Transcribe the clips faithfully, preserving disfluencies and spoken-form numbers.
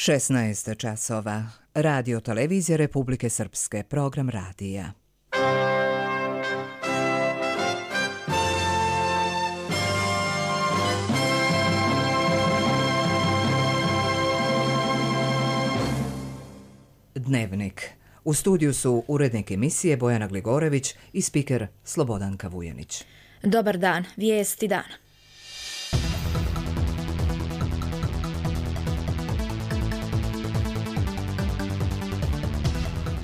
šesnaest časova. Radio televizija Republike Srpske, program radija. Dnevnik. U studiju su urednik emisije Bojana Gligorević i spiker Slobodanka Vujanić. Dobar dan, vijesti dana.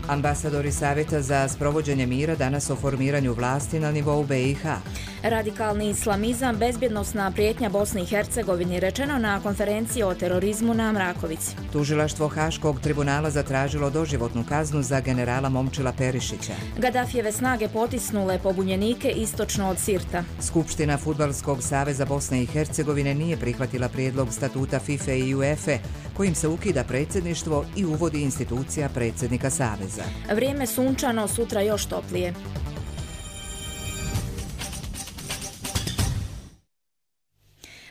Ambasadori Savjeta za sprovođenje mira danas o formiranju vlasti na nivou B i H. Radikalni islamizam, bezbjednosna prijetnja Bosni i Hercegovini, rečeno na konferenciji o terorizmu na Mrakovici. Tužilaštvo Haškog tribunala zatražilo doživotnu kaznu za generala Momčila Perišića. Gaddafijeve snage potisnule pobunjenike istočno od Sirta. Skupština Fudbalskog saveza Bosne i Hercegovine nije prihvatila prijedlog statuta FIFA i UEFA kojim se ukida predsjedništvo i uvodi institucija predsjednika saveza. Vrijeme sunčano, sutra još toplije.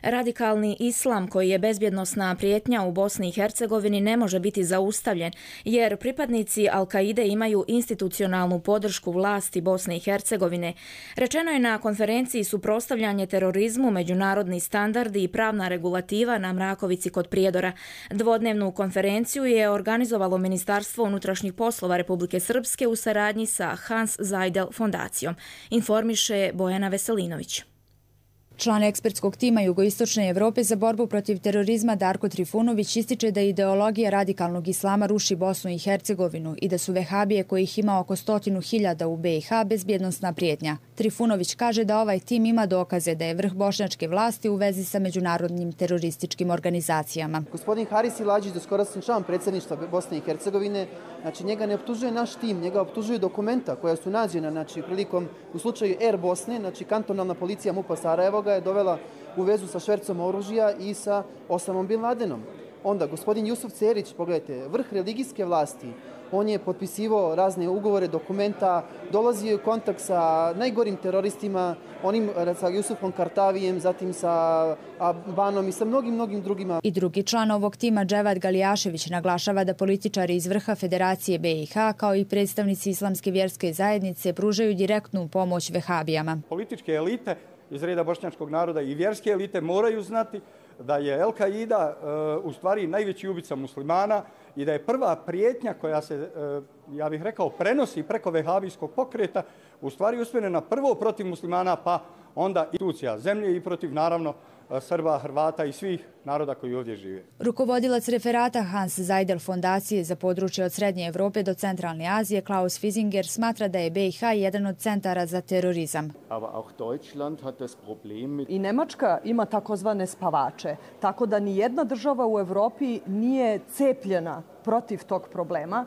Radikalni islam, koji je bezbjednosna prijetnja u Bosni i Hercegovini, ne može biti zaustavljen, jer pripadnici Al-Kaide imaju institucionalnu podršku vlasti Bosne i Hercegovine. Rečeno je na konferenciji Suprotstavljanje terorizmu, međunarodni standardi i pravna regulativa na Mrakovici kod Prijedora. Dvodnevnu konferenciju je organizovalo Ministarstvo unutrašnjih poslova Republike Srpske u saradnji sa Hans Zajdel fondacijom, informiše Bojana Veselinović. Član ekspertskog tima Jugoistočne Evrope za borbu protiv terorizma Darko Trifunović ističe da ideologija radikalnog islama ruši Bosnu i Hercegovinu i da su vehabije, kojih ima oko stotinu hiljada u B i H, bezbjednosna prijetnja. Trifunović kaže da ovaj tim ima dokaze da je vrh bošnjačke vlasti u vezi sa međunarodnim terorističkim organizacijama. Gospodin Haris Iladžić, doskorašnji član predsjedništva Bosne i Hercegovine, znači njega ne optužuje naš tim, njega optužuju dokumenta koja su nađena, znači prilikom u slučaju Air Bosne, znači kantonalna policija MUP-a Sarajevo ga je dovela u vezu sa švercom oružja i sa Osamom Bin Ladenom. Onda gospodin Jusuf Cerić, pogledajte, vrh religijske vlasti, on je potpisivao razne ugovore, dokumenta, dolazio u kontakt sa najgorim teroristima, onim sa Jusufom Kartavijem, zatim sa Banom i sa mnogim, mnogim drugima. I drugi član ovog tima, Dževad Galijašević, naglašava da političari iz vrha Federacije B i H, kao i predstavnici Islamske vjerske zajednice, pružaju direktnu pomoć vehabijama. Političke elite iz reda bošnjačkog naroda i vjerske elite moraju znati da je Al-Kaida uh, u stvari najveći ubica muslimana i da je prva prijetnja koja se, uh, ja bih rekao, prenosi preko vehabijskog pokreta u stvari usmjerena prvo protiv muslimana, pa onda institucija zemlje i protiv, naravno, Srba, Hrvata i svih naroda koji ovdje žive. Rukovodilac referata Hans Zajdel fondacije za područje od Srednje Evrope do Centralne Azije, Klaus Fisinger, smatra da je B i H jedan od centara za terorizam. I Nemačka ima takozvane spavače, tako da ni jedna država u Evropi nije cepljena protiv tog problema.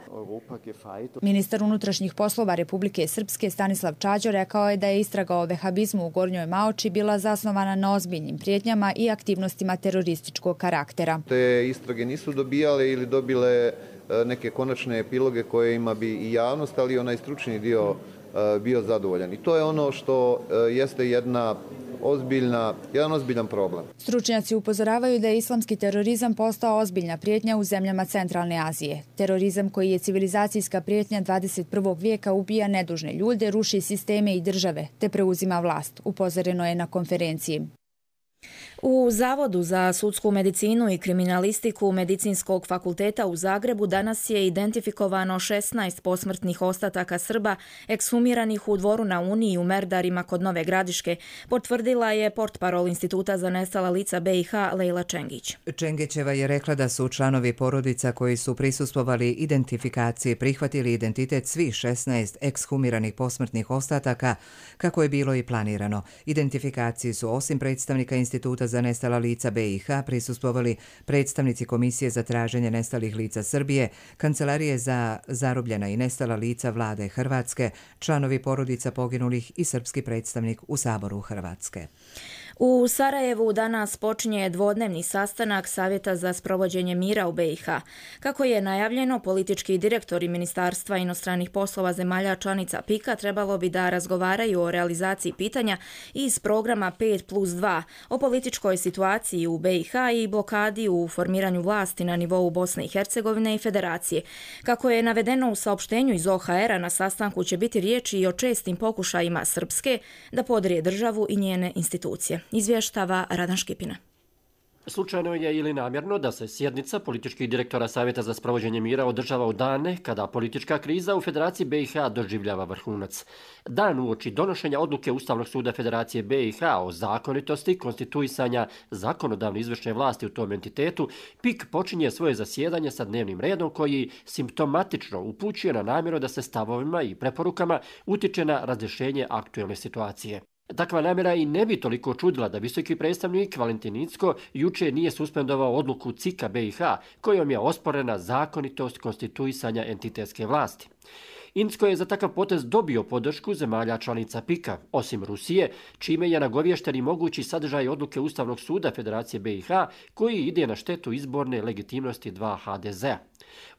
Ministar unutrašnjih poslova Republike Srpske Stanislav Čađo rekao je da je istraga o vehabizmu u Gornjoj Maoči bila zasnovana na ozbiljnim prijetnjama i aktivnostima terorističkog karaktera. Te istrage nisu dobijale ili dobile neke konačne epiloge kojima bi i javnost, ali i onaj stručni dio bio zadovoljan. I to je ono što jeste jedna ozbiljna, jedan ozbiljan problem. Stručnjaci upozoravaju da je islamski terorizam postao ozbiljna prijetnja u zemljama Centralne Azije. Terorizam, koji je civilizacijska prijetnja dvadeset prvog vijeka, ubija nedužne ljude, ruši sisteme i države, te preuzima vlast, upozoreno je na konferenciji. U Zavodu za sudsku medicinu i kriminalistiku Medicinskog fakulteta u Zagrebu danas je identifikovano šesnaest posmrtnih ostataka Srba ekshumiranih u Dvoru na Uniji u Merdarima kod Nove Gradiške, potvrdila je portparol Instituta za nestala lica B i H Lejla Čengić. Čengićeva je rekla da su članovi porodica koji su prisustvovali identifikaciji prihvatili identitet svih šesnaest ekshumiranih posmrtnih ostataka kako je bilo i planirano. Identifikaciji su osim predstavnika Instituta za nestala lica B i H prisustvovali predstavnici Komisije za traženje nestalih lica Srbije, Kancelarije za zarobljena i nestala lica vlade Hrvatske, članovi porodica poginulih i srpski predstavnik u Saboru Hrvatske. U Sarajevu danas počinje dvodnevni sastanak Savjeta za sprovođenje mira u B i H. Kako je najavljeno, politički direktori Ministarstva inostranih poslova zemalja članica pika trebalo bi da razgovaraju o realizaciji pitanja iz programa pet plus dva, o političkoj situaciji u B i H i blokadi u formiranju vlasti na nivou Bosne i Hercegovine i Federacije. Kako je navedeno u saopštenju iz O H R-a, na sastanku će biti riječi i o čestim pokušajima Srpske da podrije državu i njene institucije. Izvještava Radan Škipina. Slučajno je ili namjerno da se sjednica političkih direktora Savjeta za sprovođenje mira održava u dane kada politička kriza u Federaciji B i H doživljava vrhunac. Dan uoči donošenja odluke Ustavnog suda Federacije B i H o zakonitosti konstituisanja zakonodavne izvršne vlasti u tom entitetu, pik počinje svoje zasjedanje sa dnevnim redom koji simptomatično upućuje na namjeru da se stavovima i preporukama utiče na razrješenje aktuelne situacije. Takva namjera i ne bi toliko čudila da visoki predstavnik Valentin Incko juče nije suspendovao odluku C I K-a B i H kojom je osporena zakonitost konstituisanja entitetske vlasti. Incko je za takav potez dobio podršku zemalja članica pika, osim Rusije, čime je nagovješten i mogući sadržaj odluke Ustavnog suda Federacije B i H koji ide na štetu izborne legitimnosti dva H D Z-a.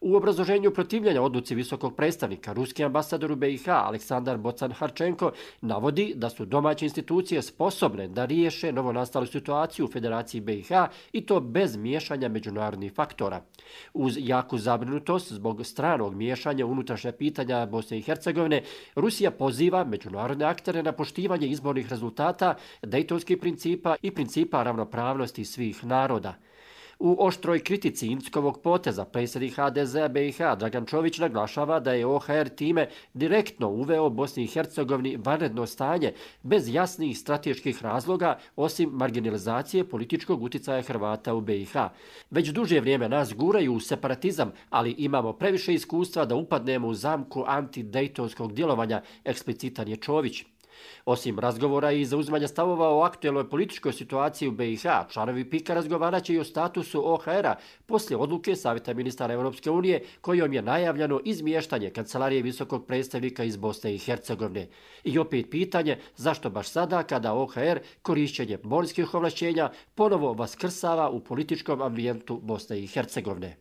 U obrazloženju protivljenja odluci visokog predstavnika, ruski ambasador u B i H Aleksandar Bocan-Harčenko navodi da su domaće institucije sposobne da riješe novonastalu situaciju u Federaciji B i H i to bez miješanja međunarodnih faktora. Uz jaku zabrinutost zbog stranog miješanja unutrašnja pitanja Bosne i Hercegovine, Rusija poziva međunarodne aktere na poštivanje izbornih rezultata, dejtonskih principa i principa ravnopravnosti svih naroda. U oštroj kritici Inckovog poteza predsjednik H D Z-a B i H Dragan Čović naglašava da je O H R time direktno uveo Bosni i Hercegovini vanredno stanje bez jasnih strateških razloga osim marginalizacije političkog utjecaja Hrvata u B i H. Već duže vrijeme nas guraju u separatizam, ali imamo previše iskustva da upadnemo u zamku antidejtonskog djelovanja, eksplicitan je Čović. Osim razgovora i zauzimanja stavova o aktuelnoj političkoj situaciji u B i H, članovi pika razgovarat će i o statusu O H R-a poslije odluke Savjeta ministara Europske unije kojom je najavljeno izmještanje kancelarije visokog predstavnika iz Bosne i Hercegovine. I opet pitanje zašto baš sada kada O H R korišćenje morskih ovlašćenja ponovo vaskrsava u političkom ambijentu Bosne i Hercegovine.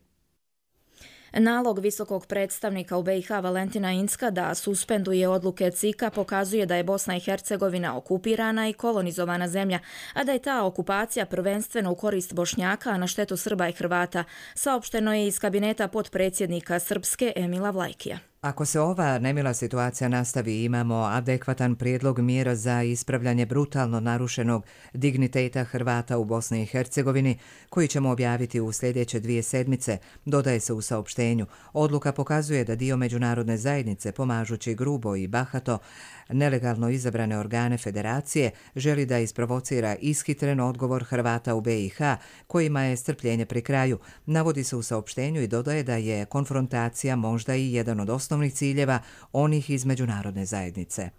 Nalog visokog predstavnika u B i H Valentina Incka da suspenduje odluke C I K-a pokazuje da je Bosna i Hercegovina okupirana i kolonizovana zemlja, a da je ta okupacija prvenstveno u korist Bošnjaka, a na štetu Srba i Hrvata, saopšteno je iz kabineta potpredsjednika Srpske Emila Vlajkija. Ako se ova nemila situacija nastavi, imamo adekvatan prijedlog mjera za ispravljanje brutalno narušenog digniteta Hrvata u Bosni i Hercegovini, koji ćemo objaviti u sljedeće dvije sedmice, dodaje se u saopštenju. Odluka pokazuje da dio međunarodne zajednice, pomažući grubo i bahato nelegalno izabrane organe federacije, želi da isprovocira ishitren odgovor Hrvata u B i H, kojima je strpljenje pri kraju. Navodi se u saopštenju i dodaje da je konfrontacija možda i jedan od osnovnih ciljeva onih iz međunarodne zajednice.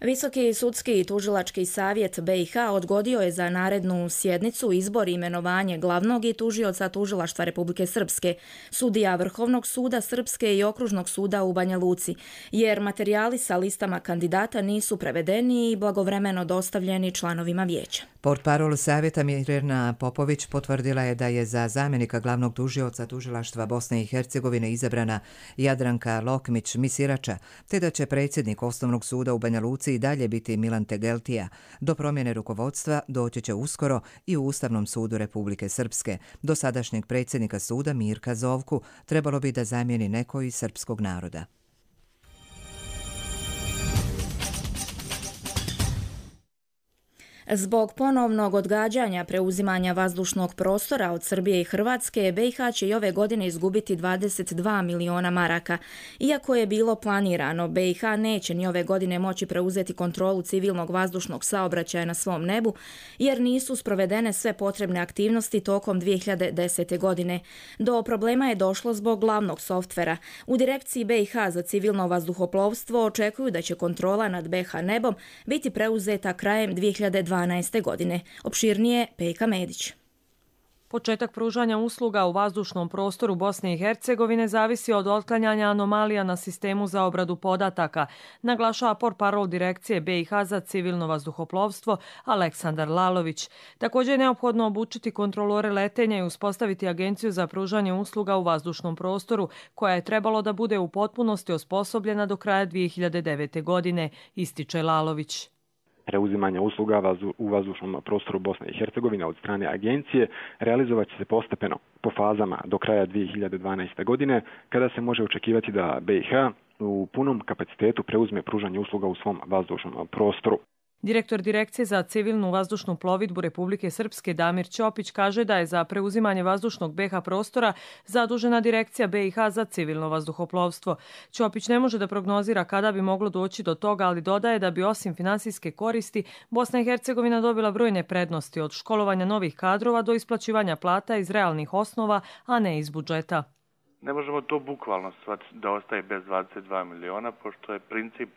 Visoki sudski i tužilački savjet B i H odgodio je za narednu sjednicu izbor i imenovanje glavnog i tužioca tužilaštva Republike Srpske, sudija Vrhovnog suda Srpske i Okružnog suda u Banja Luci, jer materijali sa listama kandidata nisu prevedeni i blagovremeno dostavljeni članovima vijeća. Portparol savjeta Mirjana Popović potvrdila je da je za zamjenika glavnog tužioca tužilaštva Bosne i Hercegovine izabrana Jadranka Lokmić-Misirača, te da će predsjednik Osnovnog suda u Banja Luci i dalje biti Milan Tegeltija. Do promjene rukovodstva doći će uskoro i u Ustavnom sudu Republike Srpske. Do sadašnjeg predsjednika suda Mirka Zovku trebalo bi da zamijeni neko iz srpskog naroda. Zbog ponovnog odgađanja preuzimanja vazdušnog prostora od Srbije i Hrvatske, B i H će i ove godine izgubiti dvadeset dva miliona maraka. Iako je bilo planirano, B i H neće ni ove godine moći preuzeti kontrolu civilnog vazdušnog saobraćaja na svom nebu, jer nisu sprovedene sve potrebne aktivnosti tokom dvije hiljade desete. godine. Do problema je došlo zbog glavnog softvera. U direkciji B i H za civilno vazduhoplovstvo očekuju da će kontrola nad B H nebom biti preuzeta krajem dvije hiljade dvanaeste. godine. Opširnije Pejka Medić. Početak pružanja usluga u vazdušnom prostoru Bosne i Hercegovine zavisi od otklanjanja anomalija na sistemu za obradu podataka, naglašava portparol Direkcije B i H za civilno vazduhoplovstvo Aleksandar Lalović. Također je neophodno obučiti kontrolore letenja i uspostaviti agenciju za pružanje usluga u vazdušnom prostoru, koja je trebalo da bude u potpunosti osposobljena do kraja dvije hiljade devete. godine, ističe Lalović. Preuzimanje usluga u vazdušnom prostoru Bosne i Hercegovine od strane agencije realizovat će se postepeno po fazama do kraja dvije hiljade dvanaeste. godine, kada se može očekivati da B i H u punom kapacitetu preuzme pružanje usluga u svom vazdušnom prostoru. Direktor Direkcije za civilnu vazdušnu plovidbu Republike Srpske Damir Ćopić kaže da je za preuzimanje vazdušnog B i H prostora zadužena Direkcija B i H za civilno vazduhoplovstvo. Ćopić ne može da prognozira kada bi moglo doći do toga, ali dodaje da bi osim finansijske koristi Bosna i Hercegovina dobila brojne prednosti od školovanja novih kadrova do isplaćivanja plata iz realnih osnova, a ne iz budžeta. Ne možemo to bukvalno shvatiti da ostaje bez dvadeset dva miliona, pošto je princip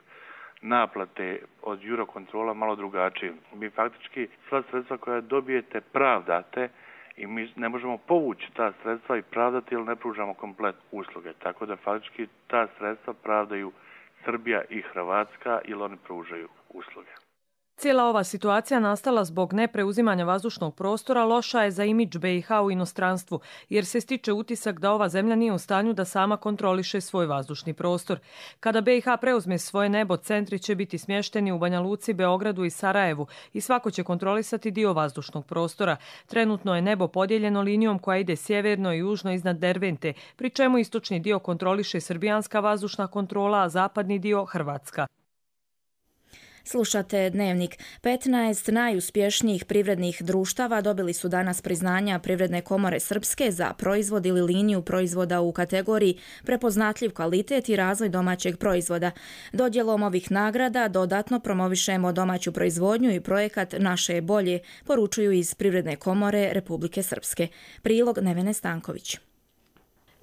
naplate od Eurocontrola malo drugačije. Mi faktički sva sredstva koja dobijete pravdate i mi ne možemo povući ta sredstva i pravdati jer ne pružamo komplet usluge. Tako da faktički ta sredstva pravdaju Srbija i Hrvatska ili oni pružaju usluge. Cijela ova situacija nastala zbog nepreuzimanja vazdušnog prostora loša je za imidž B i H u inostranstvu, jer se stiče utisak da ova zemlja nije u stanju da sama kontroliše svoj vazdušni prostor. Kada B i H preuzme svoje nebo, centri će biti smješteni u Banja Luci, Beogradu i Sarajevu i svako će kontrolisati dio vazdušnog prostora. Trenutno je nebo podijeljeno linijom koja ide sjeverno i južno iznad Dervente, pri čemu istočni dio kontroliše srbijanska vazdušna kontrola, a zapadni dio Hrvatska. Slušate Dnevnik. petnaest najuspješnijih privrednih društava dobili su danas priznanja Privredne komore Srpske za proizvod ili liniju proizvoda u kategoriji prepoznatljiv kvalitet i razvoj domaćeg proizvoda. Dodjelom ovih nagrada dodatno promovišemo domaću proizvodnju i projekat Naše je bolje, poručuju iz Privredne komore Republike Srpske. Prilog Nevene Stanković.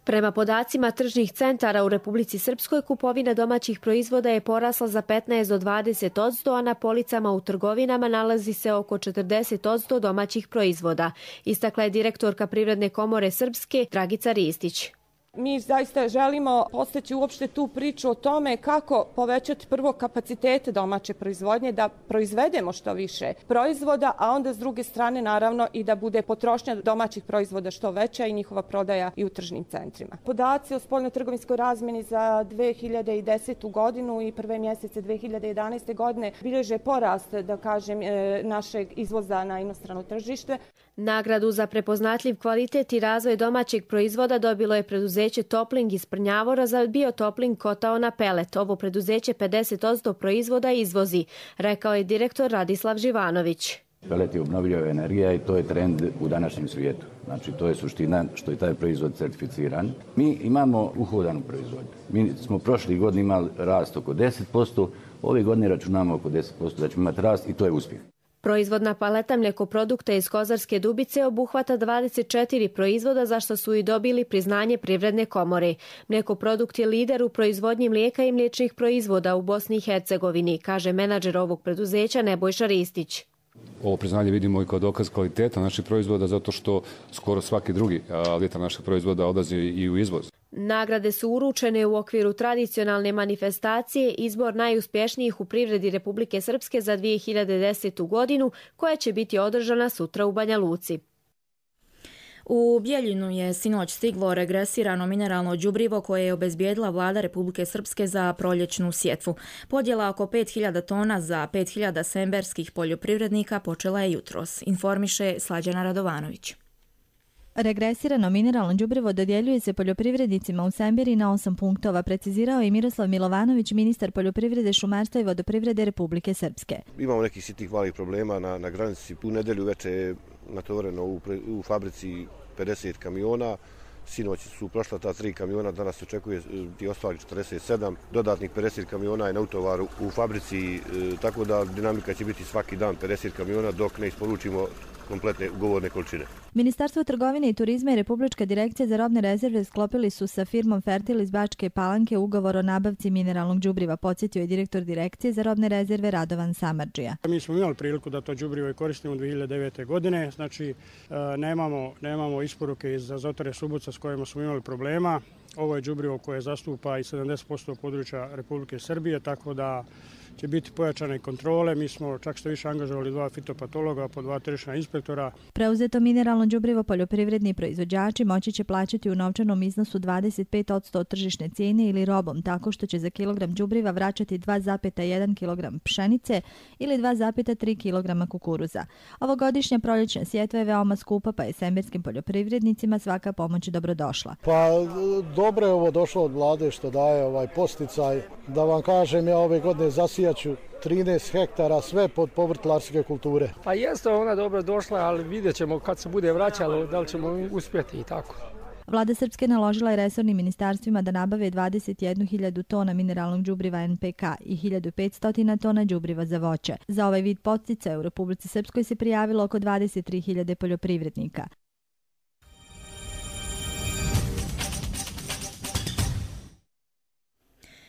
Prema podacima tržnih centara u Republici Srpskoj, kupovina domaćih proizvoda je porasla za petnaest do dvadeset posto, a na policama u trgovinama nalazi se oko četrdeset posto domaćih proizvoda, istakla je direktorka Privredne komore Srpske Dragica Ristić. Mi zaista želimo postaći uopšte tu priču o tome kako povećati prvo kapacitete domaće proizvodnje, da proizvedemo što više proizvoda, a onda s druge strane naravno i da bude potrošnja domaćih proizvoda što veća i njihova prodaja i u tržnim centrima. Podaci o spoljnotrgovinskoj razmjeni za dve hiljade desetu. godinu i prve mjesece dve hiljade jedanaeste. godine bilježe porast, da kažem, našeg izvoza na inostrano tržište. Nagradu za prepoznatljiv kvalitet i razvoj domaćeg proizvoda dobilo je preduzeće Topling iz Prnjavora za biotopling kotao na pelet. Ovo preduzeće pedeset posto proizvoda izvozi, rekao je direktor Radislav Živanović. Pelet je obnovljiva energija i to je trend u današnjem svijetu. Znači, to je suština što je taj proizvod certificiran. Mi imamo uhodanu proizvodnju. Mi smo prošli godini imali rast oko deset posto, ove godine računamo oko deset posto da ćemo imati rast i to je uspjeh. Proizvodna paleta mlijekoprodukta iz Kozarske Dubice obuhvata dvadeset četiri proizvoda za što su i dobili priznanje Privredne komore. Mlijekoprodukt je lider u proizvodnji mlijeka i mliječnih proizvoda u Bosni i Hercegovini, kaže menadžer ovog preduzeća Nebojša Ristić. Ovo priznanje vidimo i kao dokaz kvaliteta naših proizvoda zato što skoro svaki drugi litar naših proizvoda odlazi i u izvoz. Nagrade su uručene u okviru tradicionalne manifestacije Izbor najuspješnijih u privredi Republike Srpske za dvije hiljade desetu. godinu, koja će biti održana sutra u Banja Luci. U Bijeljinu je sinoć stiglo regresirano mineralno đubrivo koje je obezbijedila vlada Republike Srpske za proljećnu sjetvu. Podjela oko pet hiljada tona za pet hiljada semberskih poljoprivrednika počela je jutros, informiše Slađana Radovanović. Regresirano mineralno đubrivo dodjeljuje se poljoprivrednicima u Semberi na osam punktova, precizirao je Miroslav Milovanović, ministar poljoprivrede, šumarstva i vodoprivrede Republike Srpske. Imamo nekih sitnih malih problema na, na granici. U nedelju veče je natovareno u, u fabrici pedeset kamiona. Sinoć su prošla ta tri kamiona, danas se očekuje ti ostali četrdeset sedam. Dodatnih pedeset kamiona je na utovaru u fabrici, e, tako da dinamika će biti svaki dan pedeset kamiona dok ne isporučimo kompletne ugovorne količine. Ministarstvo trgovine i turizma i Republička direkcija za robne rezerve sklopili su sa firmom Fertil iz Bačke Palanke ugovor o nabavci mineralnog đubriva, podsjetio je direktor direkcije za robne rezerve Radovan Samardžija. Mi smo imali priliku da to đubrivo koristimo u dvije hiljade devete. godine, znači nemamo, nemamo isporuke iz Azotare Subotica s kojima smo imali problema. Ovo je đubrivo koje zastupa i sedamdeset posto područja Republike Srbije, tako da će biti pojačane kontrole. Mi smo čak što više angažovali dva fitopatologa po dva tržišna inspektora. Preuzeto mineralno đubrivo poljoprivredni proizvođači moći će plaćati u novčanom iznosu dvadeset pet posto od tržišne cijene ili robom, tako što će za kilogram đubriva vraćati dva zarez jedan kilogram pšenice ili dva zarez tri kilograma kukuruza. Ovogodišnja proljećna sjetva je veoma skupa, pa je semberskim poljoprivrednicima svaka pomoć dobrodošla. Pa dobro je ovo došlo od vlade što daje ovaj posticaj. Da vam kažem, ja ove godine zasijaću trinaest hektara sve pod povrtlarske kulture. Pa jeste ona dobro došla, ali vidjet ćemo kad se bude vraćalo da li ćemo uspjeti i tako. Vlada Srpske naložila je resornim ministarstvima da nabave dvadeset jednu hiljadu tona mineralnog đubriva en pe ka i hiljadu petsto tona đubriva za voće. Za ovaj vid podsticaja u Republici Srpskoj se prijavilo oko dvadeset tri hiljade poljoprivrednika.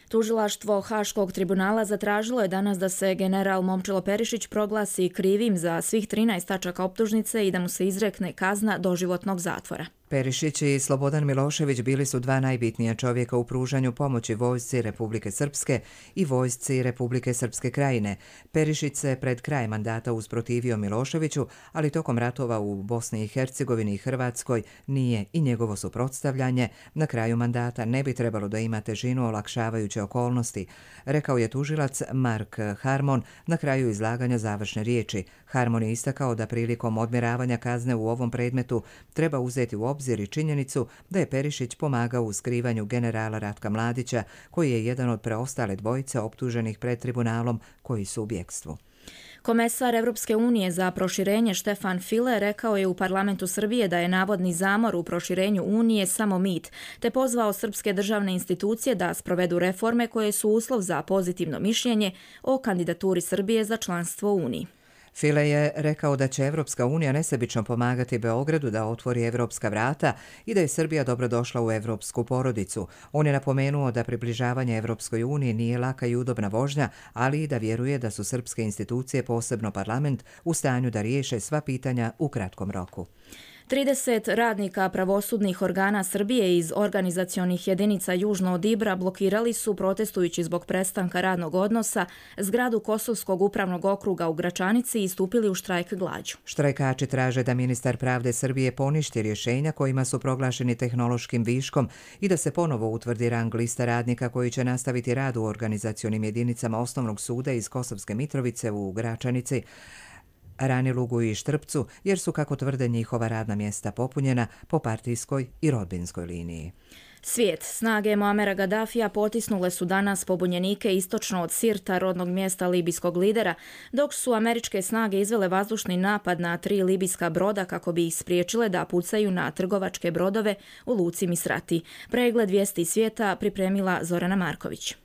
Tužilaštvo Haškog tribunala zatražilo je danas da se general Momčilo Perišić proglasi krivim za svih trinaest tačaka optužnice i da mu se izrekne kazna doživotnog zatvora. Perišić i Slobodan Milošević bili su dva najbitnija čovjeka u pružanju pomoći vojsci Republike Srpske i vojsci Republike Srpske krajine. Perišić se pred kraj mandata usprotivio Miloševiću, ali tokom ratova u Bosni i Hercegovini i Hrvatskoj nije i njegovo suprotstavljanje na kraju mandata ne bi trebalo da ima težinu olakšavajuće okolnosti, rekao je tužilac Mark Harmon na kraju izlaganja završne riječi. Harmon je istakao da prilikom odmjeravanja kazne u ovom predmetu treba uzeti u obzir i činjenicu da je Perišić pomagao u skrivanju generala Ratka Mladića, koji je jedan od preostale dvojice optuženih pred tribunalom koji su u bjekstvu. Komesar Evropske unije za proširenje Štefan File rekao je u parlamentu Srbije da je navodni zamor u proširenju Unije samo mit, te pozvao srpske državne institucije da sprovedu reforme koje su uslov za pozitivno mišljenje o kandidaturi Srbije za članstvo u Uniji. File je rekao da će Evropska unija nesebično pomagati Beogradu da otvori evropska vrata i da je Srbija dobrodošla u evropsku porodicu. On je napomenuo da približavanje Evropskoj uniji nije laka i udobna vožnja, ali i da vjeruje da su srpske institucije, posebno parlament, u stanju da riješe sva pitanja u kratkom roku. trideset radnika pravosudnih organa Srbije iz organizacionih jedinica južno od Ibra blokirali su, protestujući zbog prestanka radnog odnosa, zgradu Kosovskog upravnog okruga u Gračanici i stupili u štrajk glađu. Štrajkači traže da ministar pravde Srbije poništi rješenja kojima su proglašeni tehnološkim viškom i da se ponovo utvrdi rang lista radnika koji će nastaviti rad u organizacionim jedinicama Osnovnog suda iz Kosovske Mitrovice u Gračanici, Ranilugu i Štrpcu, jer su, kako tvrde, njihova radna mjesta popunjena po partijskoj i rodbinskoj liniji. Svijet. Snage Muamera Gaddafija potisnule su danas pobunjenike istočno od Sirta, rodnog mjesta libijskog lidera, dok su američke snage izvele vazdušni napad na tri libijska broda kako bi ih spriječile da pucaju na trgovačke brodove u luci Misrati. Pregled vijesti svijeta pripremila Zorana Marković.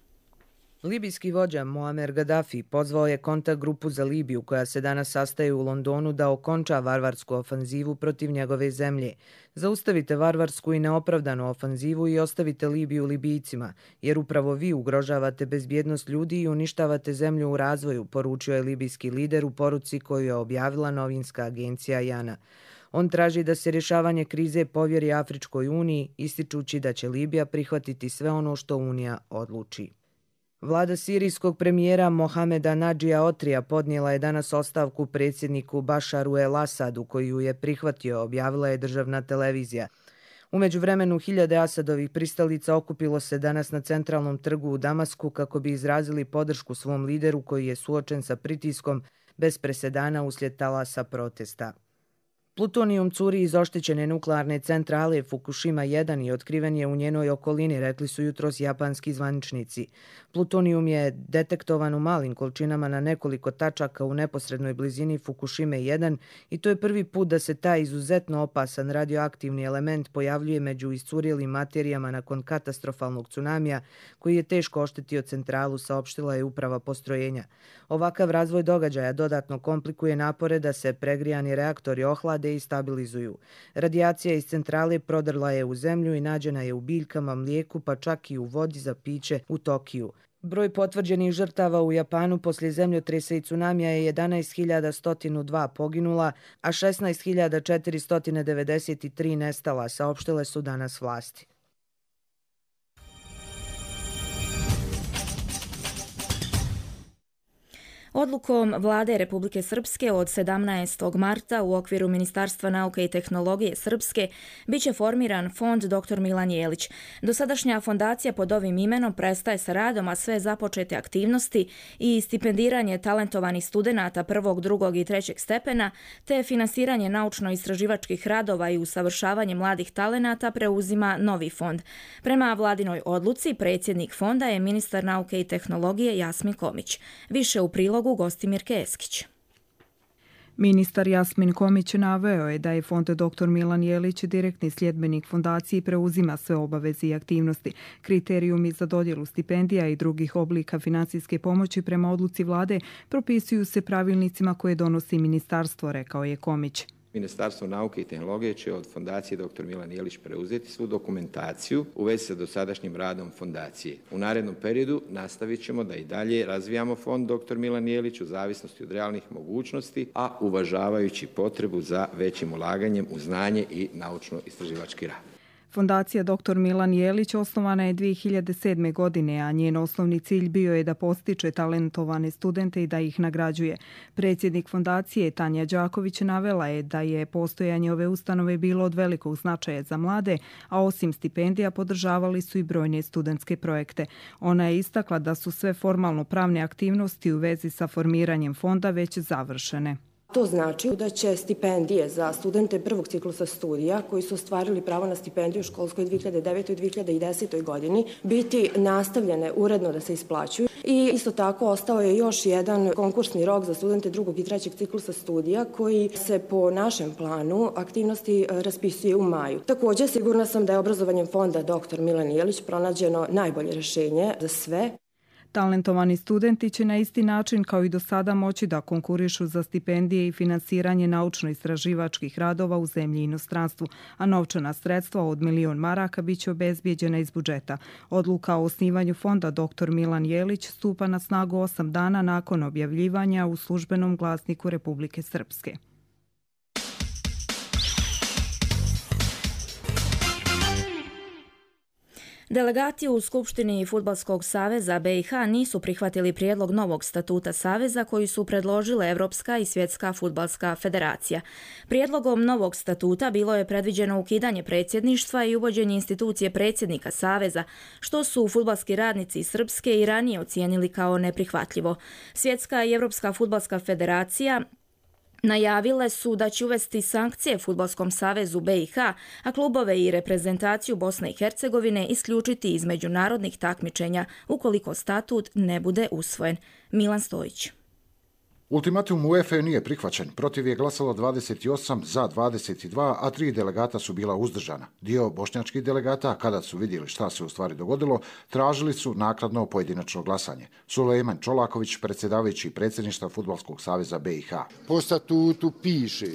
Libijski vođa Muamer Gaddafi pozvao je kontakt grupu za Libiju koja se danas sastaje u Londonu da okonča varvarsku ofanzivu protiv njegove zemlje. Zaustavite varvarsku i neopravdanu ofanzivu i ostavite Libiju Libijcima, jer upravo vi ugrožavate bezbjednost ljudi i uništavate zemlju u razvoju, poručio je libijski lider u poruci koju je objavila novinska agencija Jana. On traži da se rješavanje krize povjeri Afričkoj uniji, ističući da će Libija prihvatiti sve ono što Unija odluči. Vlada sirijskog premijera Mohameda Nadžija Otrija podnijela je danas ostavku predsjedniku Bašaru el-Asadu, koji ju je prihvatio, objavila je državna televizija. U međuvremenu hiljade Asadovih pristalica okupilo se danas na centralnom trgu u Damasku kako bi izrazili podršku svom lideru koji je suočen sa pritiskom bez presedana uslijed talasa protesta. Plutonijum curi iz oštećene nuklearne centrale Fukushima jedan i otkriven je u njenoj okolini, rekli su jutros japanski zvaničnici. Plutonijum je detektovan u malim količinama na nekoliko tačaka u neposrednoj blizini Fukushime jedan i to je prvi put da se taj izuzetno opasan radioaktivni element pojavljuje među iscurijelim materijama nakon katastrofalnog tsunamija koji je teško oštetio centralu, saopštila je uprava postrojenja. Ovakav razvoj događaja dodatno komplikuje napore da se pregrijani reaktori ohlade i stabilizuju. Radijacija iz centrale prodrla je u zemlju i nađena je u biljkama, mlijeku, pa čak i u vodi za piće u Tokiju. Broj potvrđenih žrtava u Japanu poslije zemljotresa i tsunamija je jedanaest hiljada sto dva poginula, a šesnaest hiljada četiristo devedeset tri nestala, saopštile su danas vlasti. Odlukom Vlade Republike Srpske od sedamnaestog marta u okviru Ministarstva nauke i tehnologije Srpske biće formiran fond doktor Milan Jelić. Dosadašnja fondacija pod ovim imenom prestaje sa radom, a sve započete aktivnosti i stipendiranje talentovanih studenata prvog, drugog i trećeg stepena, te finansiranje naučno-istraživačkih radova i usavršavanje mladih talenata preuzima novi fond. Prema vladinoj odluci, predsjednik fonda je ministar nauke i tehnologije Jasmin Komić. Više u prilogu Gostimir Keskić. Ministar Jasmin Komić naveo je da je fond doktor Milan Jelić direktni sljedbenik fondacije i preuzima sve obaveze i aktivnosti. Kriterijumi za dodjelu stipendija i drugih oblika financijske pomoći prema odluci vlade propisuju se pravilnicima koje donosi ministarstvo, rekao je Komić. Ministarstvo nauke i tehnologije će od fondacije doktor Milan Jelić preuzeti svu dokumentaciju u vezi sa dosadašnjim radom fondacije. U narednom periodu nastavit ćemo da i dalje razvijamo fond doktor Milan Jelić u zavisnosti od realnih mogućnosti, a uvažavajući potrebu za većim ulaganjem u znanje i naučno-istraživački rad. Fondacija doktor Milan Jelić osnovana je dvije hiljade sedme. godine, a njen osnovni cilj bio je da postiče talentovane studente i da ih nagrađuje. Predsjednik fondacije Tanja Đaković navela je da je postojanje ove ustanove bilo od velikog značaja za mlade, a osim stipendija podržavali su i brojne studentske projekte. Ona je istakla da su sve formalno pravne aktivnosti u vezi sa formiranjem fonda već završene. To znači da će stipendije za studente prvog ciklusa studija koji su ostvarili pravo na stipendiju u školskoj dvije hiljade devete. i dvije hiljade desete. godini biti nastavljene uredno da se isplaćuju. I isto tako ostao je još jedan konkursni rok za studente drugog i trećeg ciklusa studija koji se po našem planu aktivnosti raspisuje u maju. Također sigurna sam da je obrazovanjem fonda doktor Milan Jelić pronađeno najbolje rješenje za sve. Talentovani studenti će na isti način kao i do sada moći da konkurišu za stipendije i finansiranje naučno-istraživačkih radova u zemlji i inostranstvu, a novčana sredstva od milion maraka biće obezbijeđena iz budžeta. Odluka o osnivanju fonda doktor Milan Jelić stupa na snagu osam dana nakon objavljivanja u službenom glasniku Republike Srpske. Delegati u Skupštini Fudbalskog saveza B i H nisu prihvatili prijedlog novog statuta saveza koji su predložile Evropska i Svjetska fudbalska federacija. Prijedlogom novog statuta bilo je predviđeno ukidanje predsjedništva i uvođenje institucije predsjednika saveza, što su fudbalski radnici iz Srpske i ranije ocijenili kao neprihvatljivo. Svjetska i Evropska fudbalska federacija najavile su da će uvesti sankcije Fudbalskom savezu B i H, a klubove i reprezentaciju Bosne i Hercegovine isključiti iz međunarodnih takmičenja ukoliko statut ne bude usvojen. Milan Stojić. Ultimatum UEFA nije prihvaćen. Protiv je glasalo dvadeset osam, za dvadeset dva, a tri delegata su bila uzdržana. Dio bošnjačkih delegata, kada su vidjeli šta se u stvari dogodilo, tražili su naknadno pojedinačno glasanje. Sulejman Čolaković, predsjedavajući predsjedništva Fudbalskog saveza B i H. Po statutu piše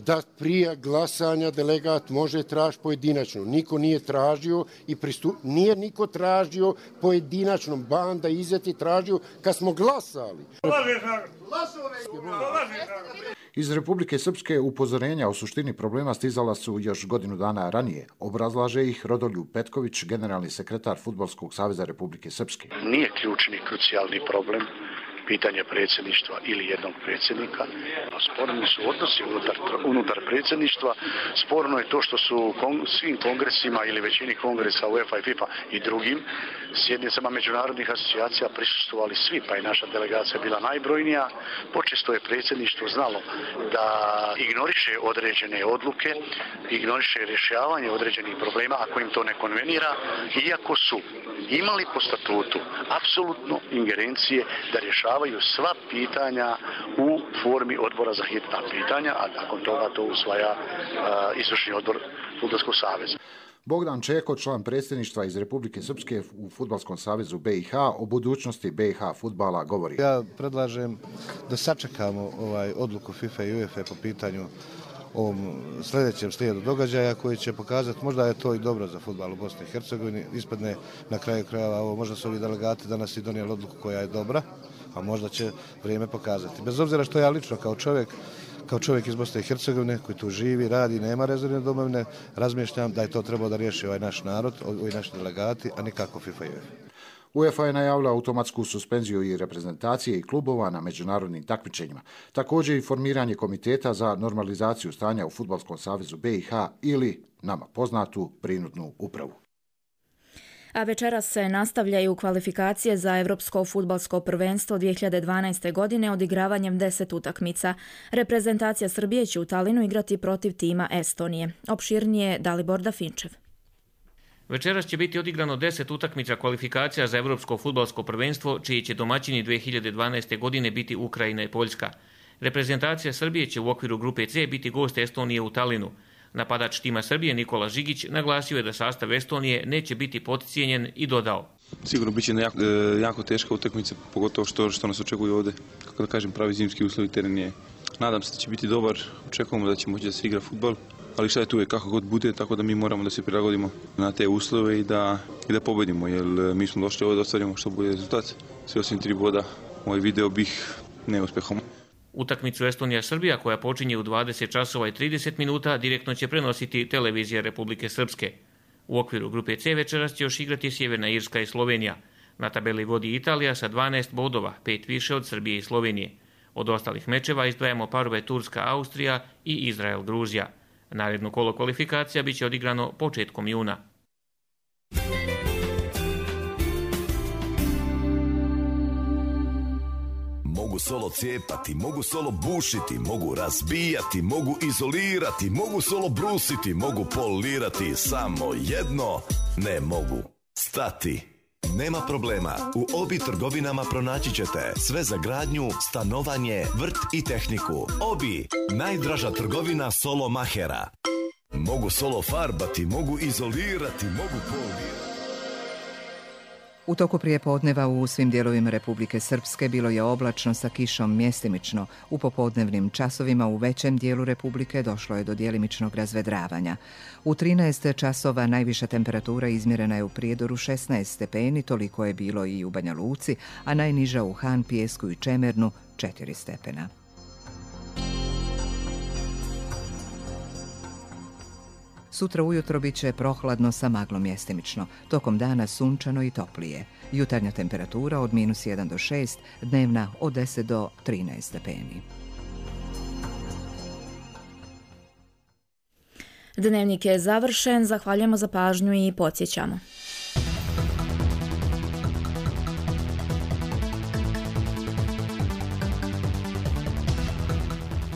da prije glasanja delegat može tražiti pojedinačno. Niko nije tražio i pristup... nije niko tražio pojedinačno. Banda izeti tražio kad smo glasali. Iz Republike Srpske upozorenja o suštini problema stizala su još godinu dana ranije. Obrazlaže ih Rodoljub Petković, generalni sekretar Fudbalskog saveza Republike Srpske. Nije ključni, krucijalni problem pitanje predsjedništva ili jednog predsjednika. Sporni su odnosi unutar, unutar predsjedništva. Sporno je to što su kong, svim kongresima ili većini kongresa UEFA i FIFA i drugim sjednicama međunarodnih asocijacija prisustvovali svi, pa i naša delegacija bila najbrojnija. Počesto je predsjedništvo znalo da ignoriše određene odluke, ignoriše rješavanje određenih problema ako im to ne konvenira, iako su imali po statutu apsolutno ingerencije da rješavaju sva pitanja u formi odbora za hitna pitanja, a nakon toga to usvaja uh, izvršni odbor Fudbalskog saveza. Bogdan Čeko, član predsjedništva iz Republike Srpske u Fudbalskom savezu B i H, o budućnosti B i H fudbala govori. Ja predlažem da sačekamo ovaj odluku FIFA i UEFA po pitanju ovom sljedećem slijedu događaja koji će pokazati, možda je to i dobro za fudbal u Bosni i Hercegovini, ispadne na kraju krajeva ovo, možda su ovi delegati danas i donijeli odluku koja je dobra, a možda će vrijeme pokazati. Bez obzira što ja lično kao čovjek, kao čovjek iz Bosne i Hercegovine koji tu živi, radi, nema rezervne domovine, razmišljam da je to trebao da riješi ovaj naš narod, ovi naši delegati, a nikako FIFA i UEFA. UEFA je najavila automatsku suspenziju i reprezentacije i klubova na međunarodnim takmičenjima. Također i formiranje komiteta za normalizaciju stanja u Fudbalskom savezu B i H ili, nama poznatu, prinudnu upravu. A večeras se nastavljaju kvalifikacije za Evropsko fudbalsko prvenstvo dvije hiljade dvanaeste. godine odigravanjem deset utakmica. Reprezentacija Srbije će u Talinu igrati protiv tima Estonije. Opširnije Dalibor Dafinčev. Večeras će biti odigrano deset utakmica kvalifikacija za Evropsko fudbalsko prvenstvo, čiji će domaćini dvije hiljade dvanaeste. godine biti Ukrajina i Poljska. Reprezentacija Srbije će u okviru grupe C biti gost Estonije u Talinu. Napadač tima Srbije Nikola Žigić naglasio je da sastav Estonije neće biti podcijenjen i dodao. Sigurno biće jako, jako teška utakmica, pogotovo što, što nas očekuju ovdje, kako da kažem, pravi zimski uslovi, teren je. Nadam se da će biti dobar, očekujemo da će moći da se igra fudbal, ali šta je tu je kako god bude, tako da mi moramo da se prilagodimo na te uslove i da, i da pobedimo, jer mi smo došli ovdje da ostvarimo što bude rezultat. Sve osim tri boda, ovaj video bih neuspehom. Utakmicu Estonija-Srbija, koja počinje u dvadeset časova i trideset minuta, direktno će prenositi televizija Republike Srpske. U okviru grupe C večeras će još igrati Sjeverna Irska i Slovenija. Na tabeli vodi Italija sa dvanaest bodova, pet više od Srbije i Slovenije. Od ostalih mečeva izdvajamo parove Turska-Austrija i Izrael-Gruzija. Naredno kolo kvalifikacija biće odigrano početkom juna. Mogu solo cijepati, mogu solo bušiti, mogu razbijati, mogu izolirati, mogu solo brusiti, mogu polirati, samo jedno ne mogu. Stati. Nema problema, u Obi trgovinama pronaći ćete sve za gradnju, stanovanje, vrt i tehniku. Obi, najdraža trgovina solo mahera. Mogu solo farbati, mogu izolirati, mogu polirati. U toku prijepodneva u svim dijelovima Republike Srpske bilo je oblačno sa kišom mjestimično. U popodnevnim časovima u većem dijelu Republike došlo je do djelimičnog razvedravanja. U trinaest časova najviša temperatura izmjerena je u Prijedoru šesnaest stepeni, toliko je bilo i u Banja Luci, a najniža u Han, Pijesku i Čemernu četiri stepena. Sutra ujutro bit će prohladno sa maglom mjestimično, tokom dana sunčano i toplije. Jutarnja temperatura od minus jedan do šest, dnevna od deset do trinaest stepeni. Dnevnik je završen, zahvaljujemo za pažnju i podsjećamo.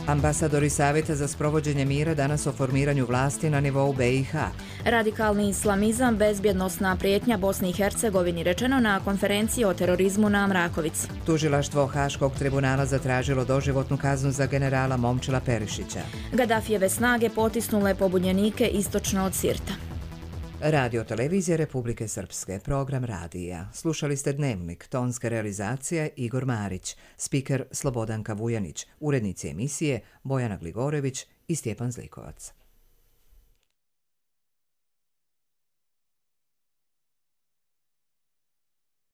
Ambasadori Savjeta za sprovođenje mira danas o formiranju vlasti na nivou B i H. Radikalni islamizam, bezbjednosna prijetnja Bosni i Hercegovini, rečeno na konferenciji o terorizmu na Mrakovici. Tužilaštvo Haškog tribunala zatražilo doživotnu kaznu za generala Momčila Perišića. Gaddafijeve snage potisnule pobunjenike istočno od Sirta. Radio televizije Republike Srpske, program radija. Slušali ste Dnevnik, tonska realizacija Igor Marić, spiker Slobodanka Vujanić, urednici emisije Bojana Gligorević i Stjepan Zlikovac.